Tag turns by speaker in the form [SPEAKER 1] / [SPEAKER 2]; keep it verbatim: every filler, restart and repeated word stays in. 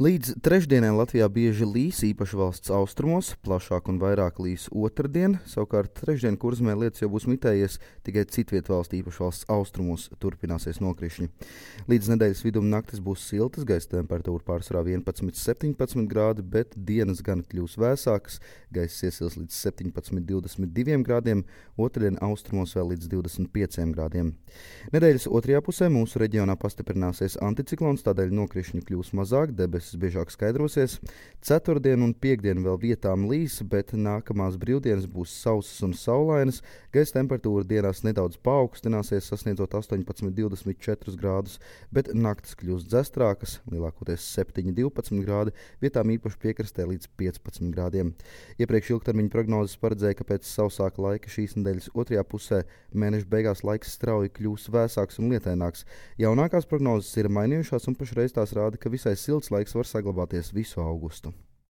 [SPEAKER 1] Līdz trešdienai Latvijā bieži līs, īpaši valsts austrumos, plašāk un vairāk līs otrdien. Savukārt trešdien Kurzemē lietus jau būs mitējies, tikai citviet valstī, īpaši valsts austrumos, turpināsies nokrišņi. Līdz nedēļas vidum naktis būs siltas, gaisa temperatūra pārsvarā vienpadsmit līdz septiņpadsmit grādi, bet dienas gan kļūs vēsākas, gaisa iesils līdz septiņpadsmit līdz divdesmit diviem grādiem, otrdien austrumos vēl līdz divdesmit pieciem grādiem. Nedēļas otrajā pusē mūsu reģionā pastiprināsies anticiklons, tādēļ nokrišņi kļūs mazāk, debesis biežāk skaidrosies. Ceturtdien un piekdien vēl vietām līs, bet nākamās brīvdienas būs sausas un saulainas. Gaisa temperatūra dienās nedaudz paaugstināsies, sasniedzot astoņpadsmit līdz divdesmit četrus grādus, bet naktis kļūs dzestrākas, lielākoties septiņi līdz divpadsmit grādi, vietām īpaši piekrastē līdz piecpadsmit grādiem. Iepriekš ilgtermiņa prognozes paredzēja, ka pēc sausāka laika šīs nedēļas otrajā pusē mēneša beigās laiks strauji kļūs vēsāks un lietaināks. Jaunākās prognozes ir mainījušās un pašreiz tās rāda, ka visai silts laiks var saglabāties visu augustu.